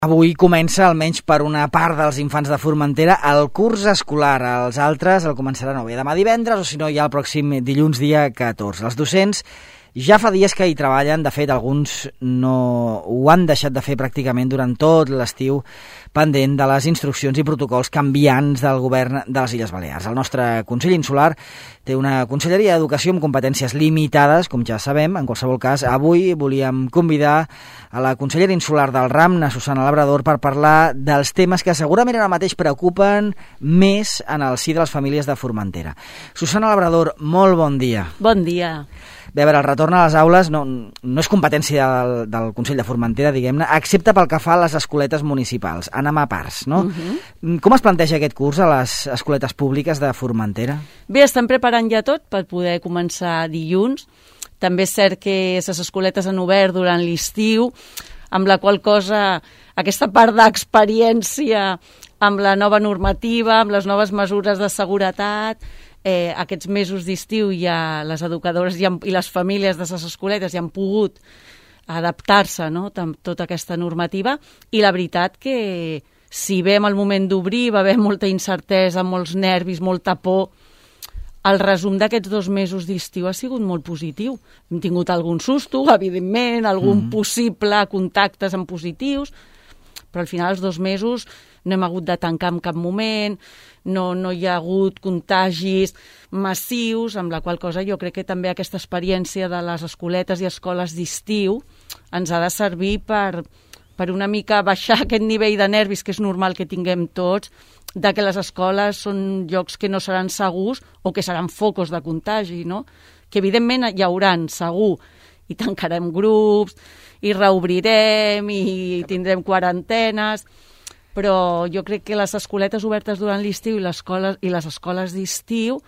Avui comença, almenys per una part dels infants de Formentera, el curs escolar. Els altres el començaran o bé demà divendres o si no ja el pròxim dilluns dia 14. Els docents ja fa dies que hi treballen, de fet alguns no ho han deixat de fer pràcticament durant tot l'estiu, pendent de les instruccions i protocols canviants del govern de les Illes Balears. El nostre Consell Insular té una Conselleria d'Educació amb competències limitades, com ja sabem. En qualsevol cas, avui volíem convidar a la consellera insular del RAM, na Susana Labrador, per parlar dels temes que segurament ara mateix preocupen més en el si de les famílies de Formentera. Susana Labrador, molt bon dia. Bon dia. Bé, a veure, el retorn a les aules no és competència del Consell de Formentera, diguem-ne, excepte pel que fa a les escoletes municipals. Anem a parts, no? Com es planteja aquest curs a les escoletes públiques de Formentera? Bé, estem preparant ja tot per poder començar dilluns. També és cert que les escoletes han obert durant l'estiu, amb la qual cosa aquesta part d'experiència amb la nova normativa, amb les noves mesures de seguretat, aquests mesos d'estiu ja les educadores i les famílies de les escoletes ja han pogut adaptar-se, no?, amb tota aquesta normativa, i la veritat que si bé en el moment d'obrir va haver molta incertesa, molts nervis, molta por, el resum d'aquests 2 mesos d'estiu ha sigut molt positiu. Hem tingut algun susto, evidentment, algun possible contactes en positius, però al final els 2 mesos no hem hagut de tancar en cap moment, no hi ha hagut contagis massius, amb la qual cosa jo crec que també aquesta experiència de les escoletes i escoles d'estiu ens ha de servir per una mica baixar aquest nivell de nervis que és normal que tinguem tots, de que les escoles són llocs que no seran segurs o que seran focus de contagi, no? Que evidentment hi hauran, segur, i tancarem grups, i reobrirem, i tindrem quarantenes, però jo crec que les escoletes obertes durant l'estiu i les escoles d'estiu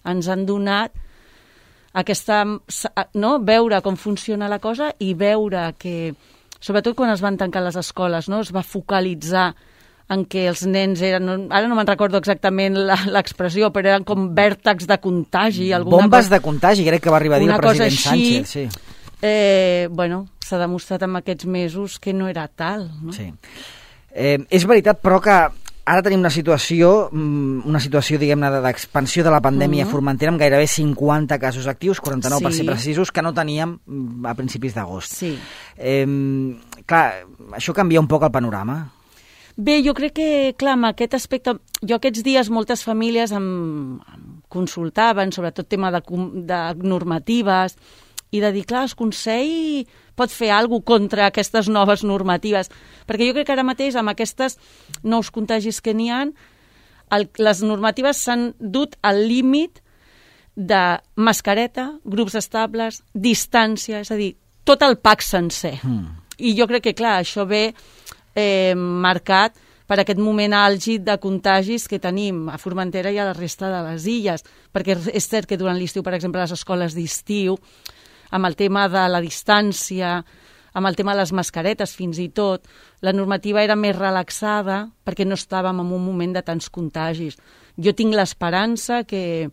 ens han donat aquesta, no?, veure com funciona la cosa i veure que, sobretot quan es van tancar les escoles, no?, es va focalitzar en què els nens eren, ara no me'n recordo exactament l'expressió, però eren com vèrtexs de contagi. Bombes de contagi, crec que va arribar a dir el president Sánchez. Sí. Bueno, s'ha demostrat en aquests mesos que no era tal, no? Sí. És veritat, però, que ara tenim una situació, diguem-ne, d'expansió de la pandèmia a Formentera amb gairebé 50 casos actius, 49 per ser precisos, que no teníem a principis d'agost. Sí. Clar, això canvia un poc el panorama. Bé, jo crec que, clar, amb aquest aspecte, jo aquests dies moltes famílies em consultaven, sobretot tema de normatives, i de dir, clar, el Consell pot fer alguna cosa contra aquestes noves normatives, perquè jo crec que ara mateix amb aquests nous contagis que n'hi ha, les normatives s'han dut al límit de mascareta, grups estables, distància, és a dir, tot el pack sencer. I jo crec que, clar, això ve marcat per aquest moment àlgid de contagis que tenim a Formentera i a la resta de les illes, perquè és cert que durant l'estiu, per exemple, les escoles d'estiu, amb el tema de la distància, amb el tema de les mascaretes fins i tot, la normativa era més relaxada perquè no estàvem en un moment de tants contagis. Jo tinc l'esperança que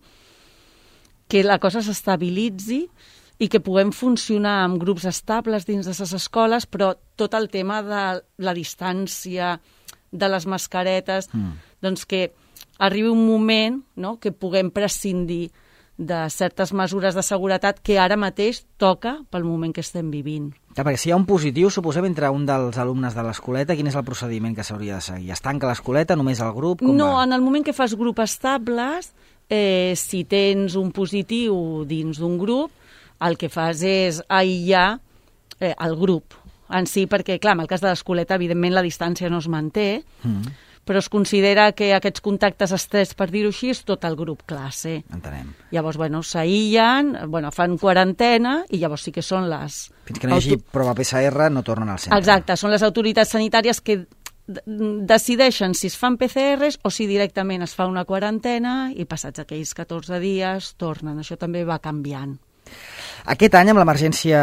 la cosa s'estabilitzi i que puguem funcionar amb grups estables dins de les escoles, però tot el tema de la distància, de les mascaretes, doncs que arribi un moment, no?, que puguem prescindir de certes mesures de seguretat que ara mateix toca pel moment que estem vivint. Ja, perquè si hi ha un positiu, suposem, entre un dels alumnes de l'escoleta, quin és el procediment que s'hauria de seguir? Es tanca l'escoleta, només el grup? No, en el moment que fas grup estables, si tens un positiu dins d'un grup, el que fas és aïllar el grup en si, perquè, clar, en el cas de l'escoleta, evidentment la distància no es manté, però es considera que aquests contactes estrets, per dir-ho així, és tot el grup classe. Entenem. Llavors, s'aïllen, fan quarantena i llavors sí que són les... Fins que no hi hagi prova PCR no tornen al centre. Exacte, són les autoritats sanitàries que decideixen si es fan PCRs o si directament es fa una quarantena i passats aquells 14 dies tornen. Això també va canviant. Aquest any, amb l'emergència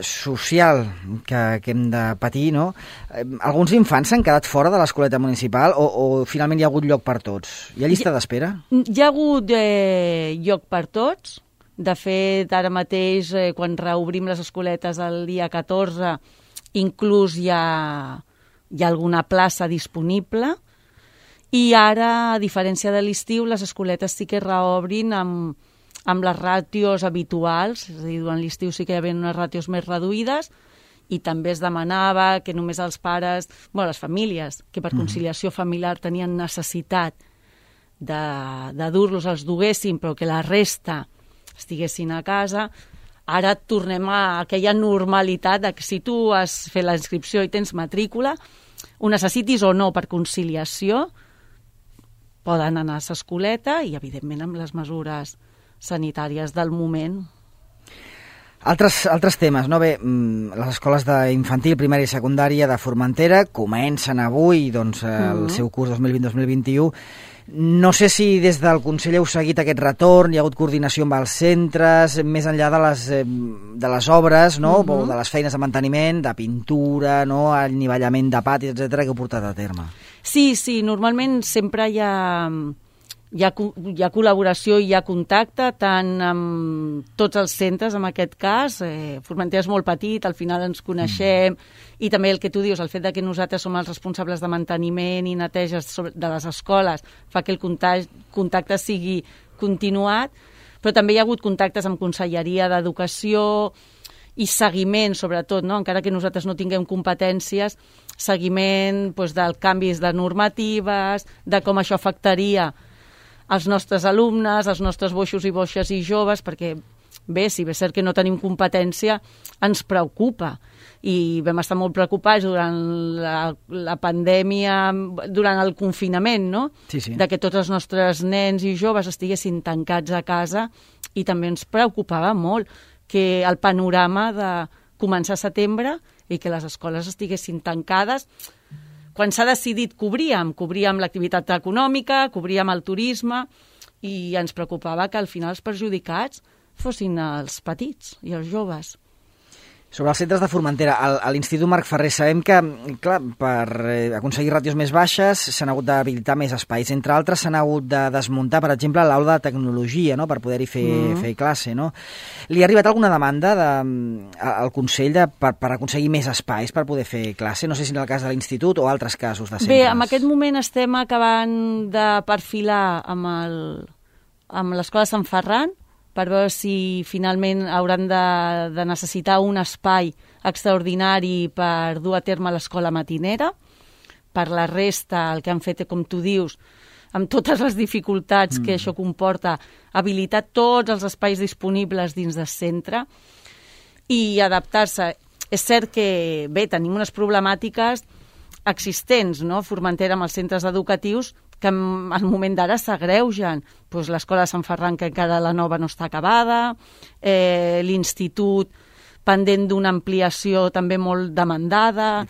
social que hem de patir, no? Alguns infants s'han quedat fora de l'escoleta municipal o finalment hi ha hagut lloc per tots? Hi ha llista d'espera? Hi ha hagut lloc per tots. De fet, ara mateix, quan reobrim les escoletes el dia 14, inclús hi ha hi ha alguna plaça disponible, i ara, a diferència de l'estiu, les escoletes sí que reobrin amb les ràtios habituals, és a dir, durant l'estiu sí que hi havia unes ràtios més reduïdes, i també es demanava que només els pares, les famílies, que per conciliació familiar tenien necessitat de dur-los, els duguessin, però que la resta estiguessin a casa. Ara tornem a aquella normalitat de que si tu has fet la inscripció i tens matrícula, ho necessitis o no per conciliació, poden anar a l'escoleta i, evidentment, amb les mesures sanitàries del moment. Altres temes, no? Bé, les escoles d'infantil, primària i secundària de Formentera comencen avui el seu curs 2020-2021. No sé si des del Consell heu seguit aquest retorn, hi ha hagut coordinació amb els centres, més enllà de les obres, no? O de les feines de manteniment, de pintura, no? Anivellament de patis, etc., que heu portat a terme. Sí, normalment sempre hi ha col·laboració i hi ha contacte tant amb tots els centres, en aquest cas. Formentera és molt petit, al final ens coneixem, i també el que tu dius, el fet que nosaltres som els responsables de manteniment i neteges de les escoles fa que el contacte sigui continuat, però també hi ha hagut contactes amb Conselleria d'Educació i seguiment, sobretot, no? Encara que nosaltres no tinguem competències, seguiment dels canvis de normatives, de com això afectaria els nostres alumnes, els nostres boixos i boixes i joves, perquè bé, si bé és cert que no tenim competència, ens preocupa. I vam estar molt preocupats durant la pandèmia, durant el confinament, no? Sí. De que tots els nostres nens i joves estiguessin tancats a casa, i també ens preocupava molt que el panorama de començar a setembre i que les escoles estiguessin tancades. Quan s'ha decidit cobríem l'activitat econòmica, cobríem el turisme, i ens preocupava que al final els perjudicats fossin els petits i els joves. Sobre els centres de Formentera, a l'Institut Marc Ferrer sabem que, clar, per aconseguir ràtios més baixes s'han hagut d'habilitar més espais. Entre altres, s'han hagut de desmuntar, per exemple, l'aula de tecnologia, no?, per poder-hi fer classe, no? Li ha arribat alguna demanda al Consell per aconseguir més espais per poder fer classe? No sé si en el cas de l'Institut o altres casos de centres. Bé, en aquest moment estem acabant de perfilar amb l'Escola Sant Ferran, per veure si finalment hauran de necessitar un espai extraordinari per dur a terme l'escola matinera. Per la resta, el que han fet, com tu dius, amb totes les dificultats que això comporta, habilitar tots els espais disponibles dins del centre i adaptar-se. És cert que, bé, tenim unes problemàtiques existents, no?, Formentera, amb els centres educatius, que al moment d'ara s'agreugen. L'escola de Sant Ferran, que encara la nova no està acabada, l'institut pendent d'una ampliació també molt demandada,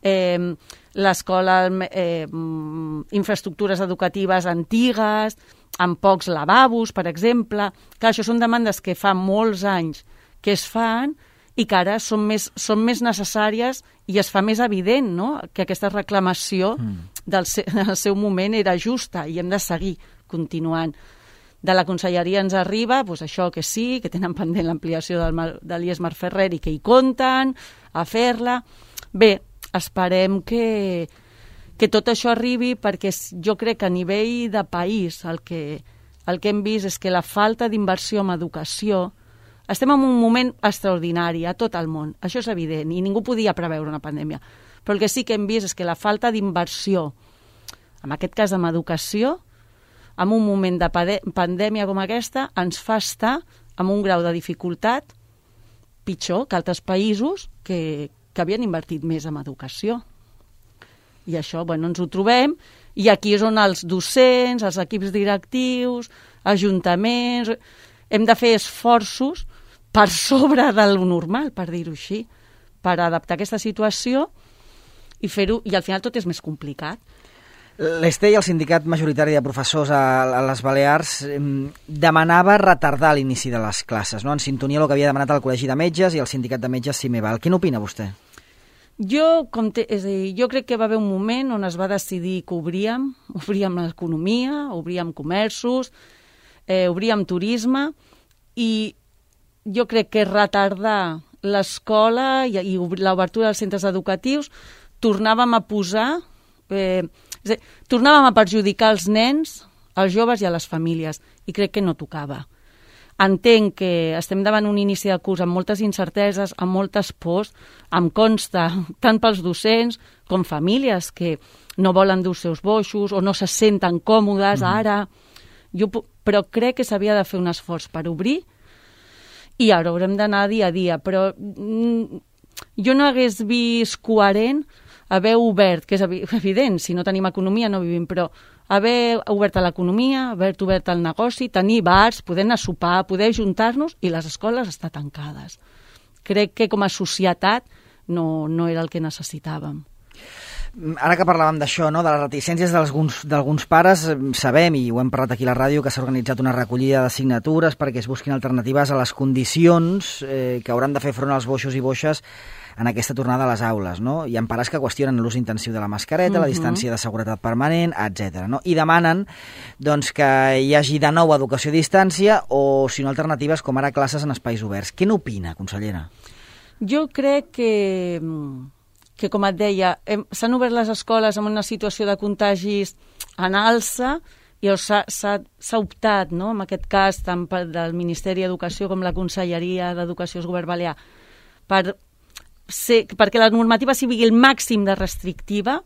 l'escola, infraestructures educatives antigues, amb pocs lavabos, per exemple. Clar, això són demandes que fa molts anys que es fan i que ara són més necessàries i es fa més evident, no?, que aquesta reclamació del seu moment era justa i hem de seguir continuant. De la Conselleria ens arriba això, que sí, que tenen pendent l'ampliació de l'IES Marc Ferrer i que hi compten a fer-la. Bé, esperem que tot això arribi, perquè jo crec que a nivell de país el que hem vist és que la falta d'inversió en educació. Estem en un moment extraordinari a tot el món, això és evident, i ningú podia preveure una pandèmia. Però el que sí que hem vist és que la falta d'inversió, en aquest cas en educació, en un moment de pandèmia com aquesta, ens fa estar amb un grau de dificultat pitjor que altres països que havien invertit més en educació. I això, ens ho trobem, i aquí és on els docents, els equips directius, ajuntaments, hem de fer esforços per sobre de lo normal, per dir-ho així, per adaptar aquesta situació i fer-ho, i al final tot és més complicat. L'ESTE i el sindicat majoritari de professors a les Balears demanava retardar l'inici de les classes, no?, en sintonia amb el que havia demanat el Col·legi de Metges i el sindicat de metges Cimeval. Què n'opina vostè? Jo crec que va haver un moment on es va decidir que obríem l'economia, obríem comerços, obríem turisme, i jo crec que retardar l'escola i l'obertura dels centres educatius tornàvem a posar... tornàvem a perjudicar els nens, als joves i a les famílies, i crec que no tocava. Entenc que estem davant un inici de curs amb moltes incerteses, amb moltes pors, em consta, tant pels docents com famílies que no volen dur els seus boixos o no se senten còmodes ara. Però crec que s'havia de fer un esforç per obrir i ara haurem d'anar dia a dia. Però jo no hagués vist coherent haver obert, que és evident, si no tenim economia no vivim, però haver obert l'economia, haver obert el negoci, tenir bars, poder anar a sopar, poder juntar-nos, i les escoles estan tancades. Crec que com a societat no era el que necessitàvem. Ara que parlàvem d'això, no, de les reticències d'alguns pares, sabem, i ho hem parlat aquí a la ràdio, que s'ha organitzat una recollida de signatures perquè es busquin alternatives a les condicions que hauran de fer front als boixos i boixes en aquesta tornada a les aules, no? Hi ha pares que qüestionen l'ús intensiu de la mascareta, la distància de seguretat permanent, etc. No? I demanen doncs, que hi hagi de nou educació a distància o, si no, alternatives com ara classes en espais oberts. Què n'opina, consellera? Jo crec que com et deia, s'han obert les escoles en una situació de contagis en alça i s'ha optat, no? En aquest cas, tant del Ministeri d'Educació com la Conselleria d'Educació del Govern Balear, perquè la normativa sigui el màxim de restrictiva,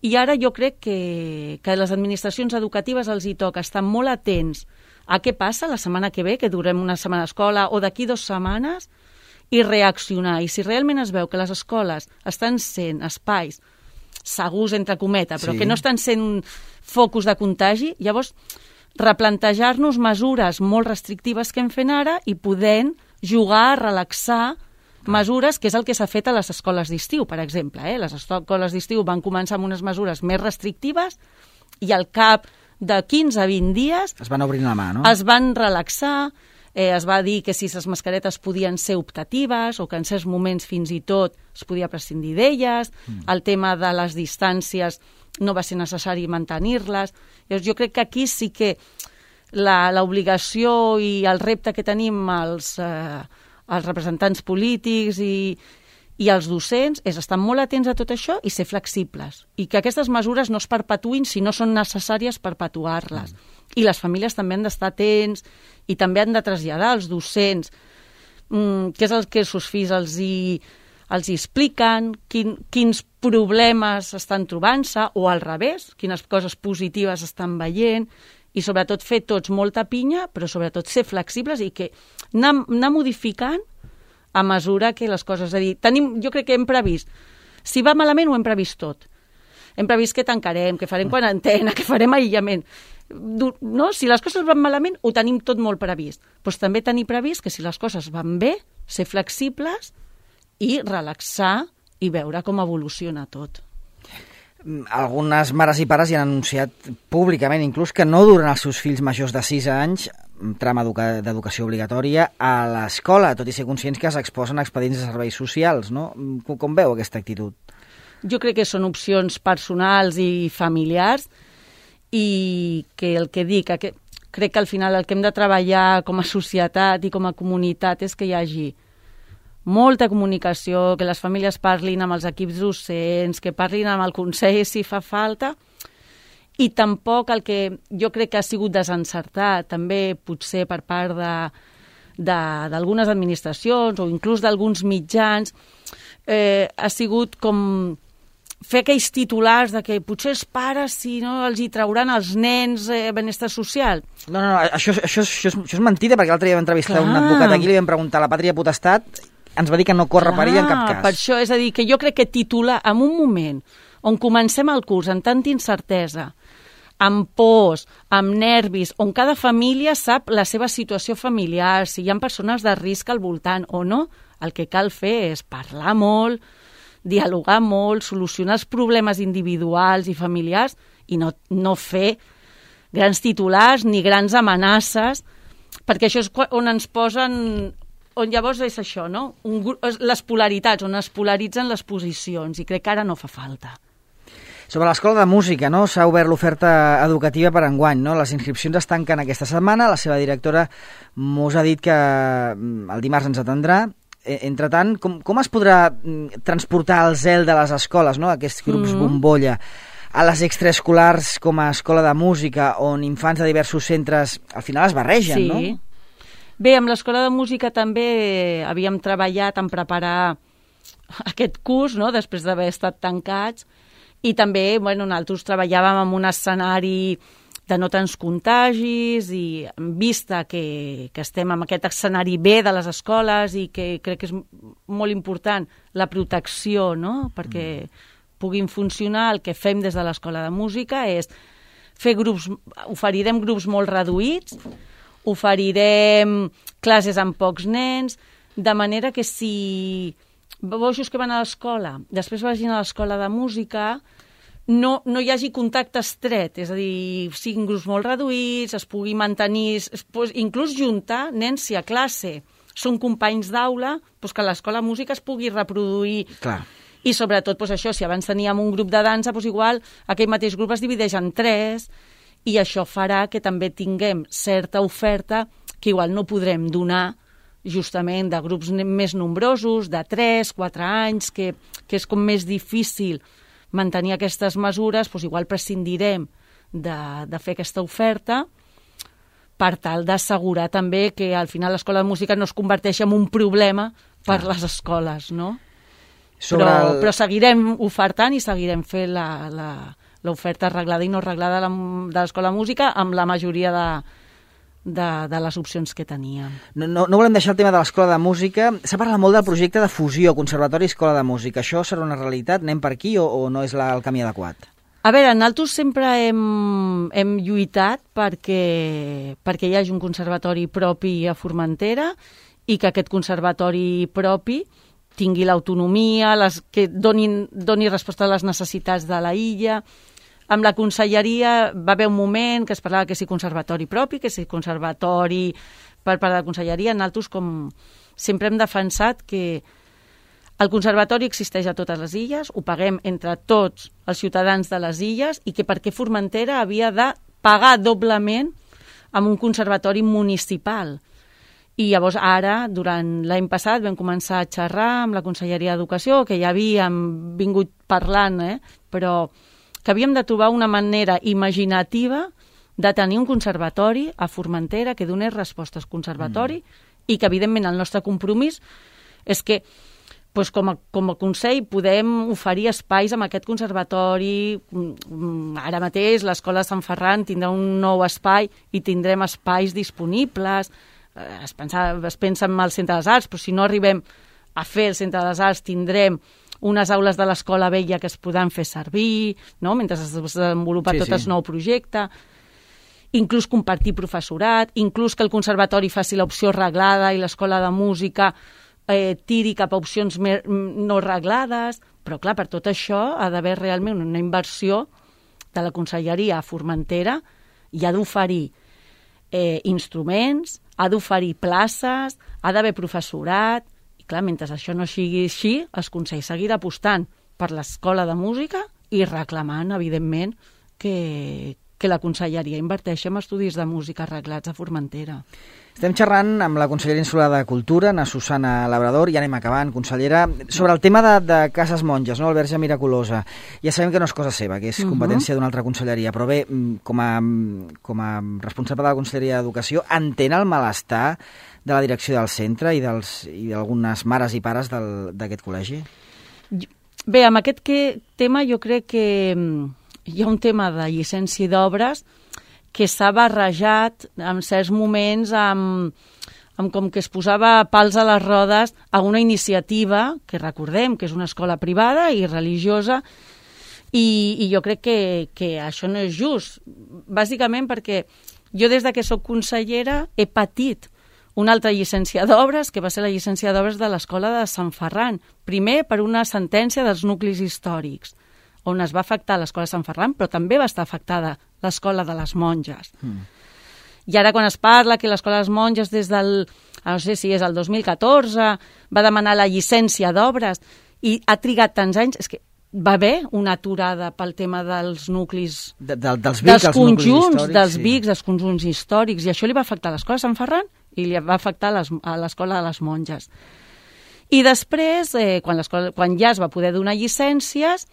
i ara jo crec que les administracions educatives els hi toca estar molt atents a què passa la setmana que ve, que durem una setmana d'escola, o d'aquí 2 setmanes, i reaccionar. I si realment es veu que les escoles estan sent espais segurs, entre cometes, però que no estan sent focus de contagi, llavors replantejar-nos mesures molt restrictives que hem fet ara i podent jugar, relaxar mesures, que és el que s'ha fet a les escoles d'estiu, per exemple. Les escoles d'estiu van començar amb unes mesures més restrictives i al cap de 15 a 20 dies es van obrir la mà, no? Es van relaxar, es va dir que si les mascaretes podien ser optatives o que en certs moments fins i tot es podia prescindir d'elles, el tema de les distàncies no va ser necessari mantenir-les. Jo crec que aquí sí que l'obligació i el repte que tenim els representants polítics i els docents és estar molt atents a tot això i ser flexibles. I que aquestes mesures no es perpetuïn si no són necessàries perpetuar-les. I les famílies també han d'estar atents i també han de traslladar als docents què és el que els seus fills els expliquen, quins problemes estan trobant-se, o al revés, quines coses positives estan veient, i sobretot fer tots molta pinya, però sobretot ser flexibles i que anar modificant a mesura que les coses... És a dir, jo crec que hem previst, si va malament ho hem previst tot. Hem previst que tancarem, que farem quarantena, que farem aïllament. No? Si les coses van malament, ho tenim tot molt previst. Però també tenir previst que si les coses van bé, ser flexibles i relaxar i veure com evoluciona tot. Algunes mares i pares ja han anunciat públicament inclús que no duren els seus fills majors de 6 anys trama d'educació obligatòria a l'escola, tot i ser conscients que s'exposen a expedients de serveis socials, no? Com veu aquesta actitud? Jo crec que són opcions personals i familiars i que el que dic, crec que al final el que hem de treballar com a societat i com a comunitat és que hi hagi molta comunicació, que les famílies parlin amb els equips docents, que parlin amb el Consell si fa falta, i tampoc el que jo crec que ha sigut desencertat, també potser per part d'algunes administracions o inclús d'alguns mitjans, ha sigut com fer aquells titulars de que potser els pares si no els hi trauran als nens benestar social. No, això és mentida, perquè l'altre dia vam entrevistar un advocat aquí, li vam preguntar la pàtria potestat, ens va dir que no corre perill en cap cas. Per això, és a dir, que jo crec que titular en un moment on comencem el curs amb tanta incertesa, amb pors, amb nervis, on cada família sap la seva situació familiar, si hi ha persones de risc al voltant o no, el que cal fer és parlar molt, dialogar molt, solucionar els problemes individuals i familiars i no fer grans titulars ni grans amenaces, perquè això és on ens posen... on llavors és això, no? Les polaritats, on es polaritzen les posicions, i crec que ara no fa falta. Sobre l'Escola de Música, no? S'ha obert l'oferta educativa per enguany, no? Les inscripcions es tanquen aquesta setmana, la seva directora mos ha dit que el dimarts ens atendrà. Entretant, com es podrà transportar el zel de les escoles, no? Aquests grups bombolla, a les extraescolars com a escola de música, on infants de diversos centres al final es barregen, no? Sí. Bé, amb l'escola de música també havíem treballat en preparar aquest curs, no?, després d'haver estat tancats, i també, nosaltres treballàvem en un escenari de no tants contagis i en vista que estem en aquest escenari B de les escoles i que crec que és molt important la protecció, no?, perquè puguin funcionar. El que fem des de l'escola de música és fer grups, oferirem grups molt reduïts, oferirem classes amb pocs nens, de manera que si bojos que van a l'escola, després vagin a l'escola de música, no hi hagi contacte estret, és a dir, siguin grups molt reduïts, es pugui mantenir, inclús juntar nens si a classe són companys d'aula, que a l'escola de música es pugui reproduir. Clar. I sobretot això, si abans teníem un grup de dansa, igual aquell mateix grup es divideix en 3, i això farà que també tinguem certa oferta que igual no podrem donar justament de grups més nombrosos, de 3, 4 anys, que és com més difícil mantenir aquestes mesures, igual prescindirem de fer aquesta oferta per tal d'assegurar també que al final l'escola de música no es converteixi en un problema per les escoles, no? Però seguirem ofertant i seguirem fent l'oferta arreglada i no arreglada de l'escola de música amb la majoria de les opcions que teníem. No volem deixar el tema de l'escola de música. S'ha parlat molt del projecte de fusió, Conservatori i Escola de Música. Això serà una realitat? Anem per aquí o no és el camí adequat? A veure, nosaltres sempre hem lluitat perquè hi hagi un conservatori propi a Formentera i que aquest conservatori propi tingui l'autonomia, que doni resposta a les necessitats de la illa. Amb la conselleria va haver un moment que es parlava que si conservatori propi, que si conservatori per part de la conselleria. Nosaltres, com sempre hem defensat que el conservatori existeix a totes les illes, ho paguem entre tots els ciutadans de les illes i que per què Formentera havia de pagar doblement amb un conservatori municipal. I llavors ara, durant l'any passat, vam començar a xerrar amb la Conselleria d'Educació, que ja havíem vingut parlant, però que havíem de trobar una manera imaginativa de tenir un conservatori a Formentera que donés respostes conservatori i que, evidentment, el nostre compromís és que com a Consell podem oferir espais amb aquest conservatori. Ara mateix l'Escola de Sant Ferran tindrà un nou espai i tindrem espais disponibles. Es pensa en el Centre de les Arts, però si no arribem a fer el Centre de les Arts tindrem unes aules de l'Escola Vella que es podran fer servir, no?, mentre es desenvolupa tot el nou projecte. Inclús compartir professorat, inclús que el conservatori faci l'opció reglada i l'Escola de Música tiri cap a opcions no reglades, però clar, per tot això ha d'haver realment una inversió de la Conselleria a Formentera i ha d'oferir instruments, ha d'oferir places, ha d'haver professorat, i clar, mentre això no sigui així, el Consell seguirà apostant per l'Escola de Música i reclamant, evidentment, que la Conselleria inverteixi en estudis de música arreglats a Formentera. Estem xerrant amb la consellera insular de Cultura, na Susana Labrador, i anem acabant, consellera, sobre el tema de Cases Monges, no?, el Verge Miraculosa. Ja sabem que no és cosa seva, que és competència d'una altra conselleria, però bé, com a responsable de la Conselleria d'Educació, entén el malestar de la direcció del centre i d'algunes mares i pares d'aquest col·legi? Bé, amb aquest tema jo crec que hi ha un tema de llicència d'obres que s'ha barrejat en certs moments amb com que es posava pals a les rodes a una iniciativa que recordem que és una escola privada i religiosa i jo crec que això no és just, bàsicament perquè jo des que soc consellera he patit una altra llicència d'obres, que va ser la llicència d'obres de l'Escola de Sant Ferran, primer per una sentència dels nuclis històrics, on es va afectar l'Escola de Sant Ferran, però també va estar afectada l'Escola de les Monges. I ara quan es parla que l'Escola de les Monges des del, no sé si és el 2014, va demanar la llicència d'obres i ha trigat tants anys, és que va haver una aturada pel tema dels nuclis, dels conjunts, dels BICs, dels conjunts històrics, i això li va afectar a l'Escola de Sant Ferran i li va afectar a l'Escola de les Monges. I després, quan ja es va poder donar llicències,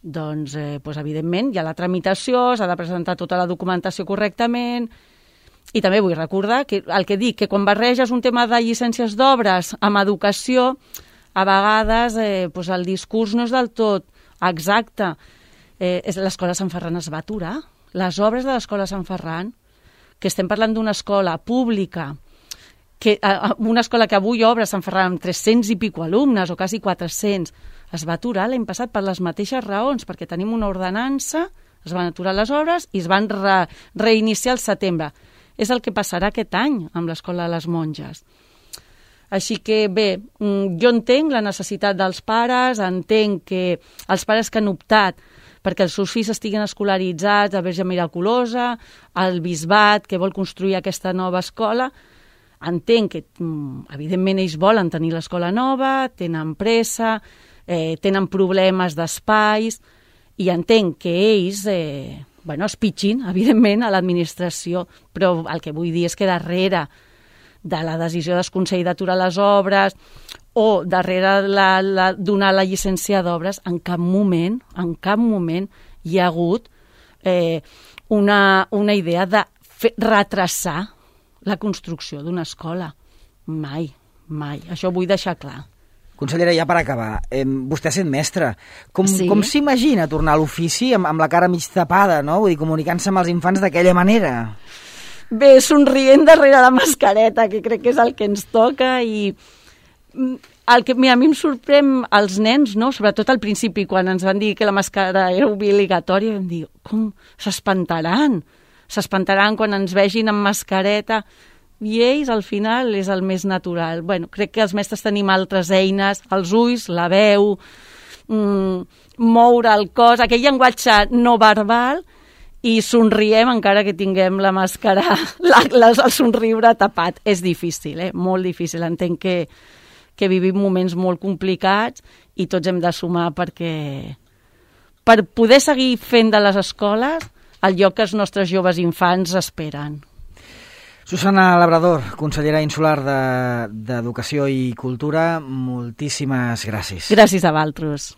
doncs, evidentment, hi ha la tramitació, s'ha de presentar tota la documentació correctament, i també vull recordar que el que dic, que quan barreges un tema de llicències d'obres amb educació, a vegades el discurs no és del tot exacte. L'escola Sant Ferran es va aturar. Les obres de l'escola Sant Ferran, que estem parlant d'una escola pública, una escola que avui obre Sant Ferran amb 300 i pico alumnes, o quasi 400, es va aturar l'any passat per les mateixes raons, perquè tenim una ordenança, es van aturar les obres i es van reiniciar al setembre. És el que passarà aquest any amb l'Escola de les Monges. Així que, bé, jo entenc la necessitat dels pares, entenc que els pares que han optat perquè els seus fills estiguin escolaritzats a Verge Miraculosa, al Bisbat, que vol construir aquesta nova escola, entenc que, evidentment, ells volen tenir l'escola nova, tenen pressa, tenen problemes d'espais, i entenc que ells es pitgin, evidentment, a l'administració, però el que vull dir és que darrere de la decisió del Consell d'aturar les obres o darrere donar la llicència d'obres, en cap moment hi ha hagut una idea de retrasar la construcció d'una escola. Mai. Això ho vull deixar clar. Consellera, ja per acabar, vostè sent mestra, com s'imagina tornar a l'ofici amb la cara mig tapada, no? Vull dir, comunicant-se amb els infants d'aquella manera. Bé, somrient darrere la mascareta, que crec que és el que ens toca, i el que a mi em sorprèn els nens, no? Sobretot al principi, quan ens van dir que la màscara era obligatòria, vam dir, com s'espantaran? S'espantaran quan ens vegin amb mascareta, i ells, al final, és el més natural. Bueno, crec que els mestres tenim altres eines, els ulls, la veu, moure el cos, aquell llenguatge no verbal, i somriem encara que tinguem la màscara, el somriure tapat. És difícil, molt difícil. Entenc que vivim moments molt complicats i tots hem de sumar per poder seguir fent de les escoles el lloc que els nostres joves infants esperen. Susana Labrador, consellera insular d'Educació i Cultura, moltíssimes gràcies. Gràcies a vosaltres.